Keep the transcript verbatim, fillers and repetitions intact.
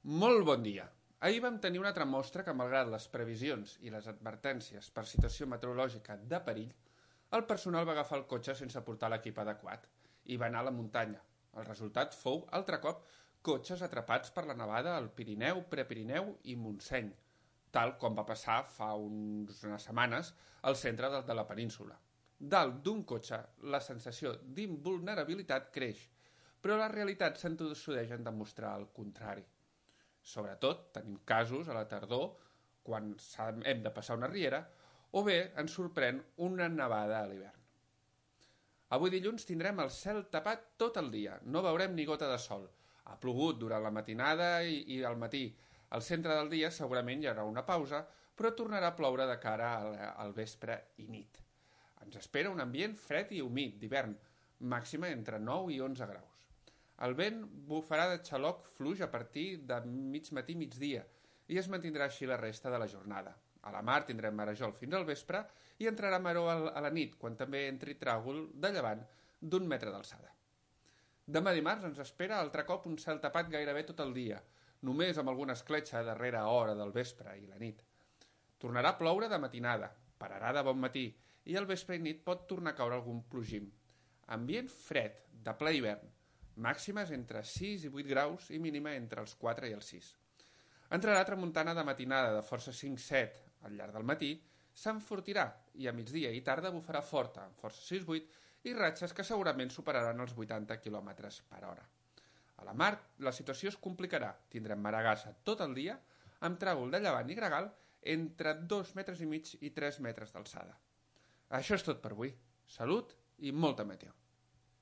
Molt bon dia. Ahir vam tenir una altra mostra que, malgrat les previsions i les advertències per situació meteorològica de perill, el personal va agafar el cotxe sense portar l'equip adequat i va anar a la muntanya. El resultat fou, altre cop, cotxes atrapats per la nevada al Pirineu, Prepirineu i Montseny, tal com va passar fa uns, unes setmanes al centre de, de la península. Dalt d'un cotxe, la sensació d'invulnerabilitat creix, però la realitat s'entossudeix en demostrar el contrari. Sobretot tenim casos a la tardor, quan hem de passar una riera, o bé ens sorprèn una nevada a l'hivern. Avui dilluns tindrem el cel tapat tot el dia, no veurem ni gota de sol. Ha plogut durant la matinada i, i al matí. Al centre del dia segurament hi haurà una pausa, però tornarà a ploure de cara al, al vespre i nit. Ens espera un ambient fred i humit d'hivern, màxima entre nou i onze graus. El vent bufarà de xaloc fluix a partir de mig matí migdia i es mantindrà així la resta de la jornada. A la mar tindrem marejol fins al vespre i entrarà maró a la nit, quan també entri tràgol de llevant d'un metre d'alçada. Demà dimarts ens espera altre cop un cel tapat gairebé tot el dia, només amb alguna escletxa a darrera hora del vespre i la nit. Tornarà a ploure de matinada, pararà de bon matí i al vespre i nit pot tornar a caure algun plogim. Ambient fred, de ple hivern, màximes entre sis i vuit graus i mínima entre els quatre i els sis. Entrarà tramuntana de matinada de força cinc set al llarg del matí, s'enfortirà i a migdia i tarda bufarà forta, amb força sis vuit, i ratxes que segurament superaran els vuitanta quilòmetres per hora. A la mar la situació es complicarà, tindrem maragassa tot el dia, amb tràgol de llevant i gregal entre dos metres i mig i tres metres d'alçada. Això és tot per avui. Salut i molta meteo.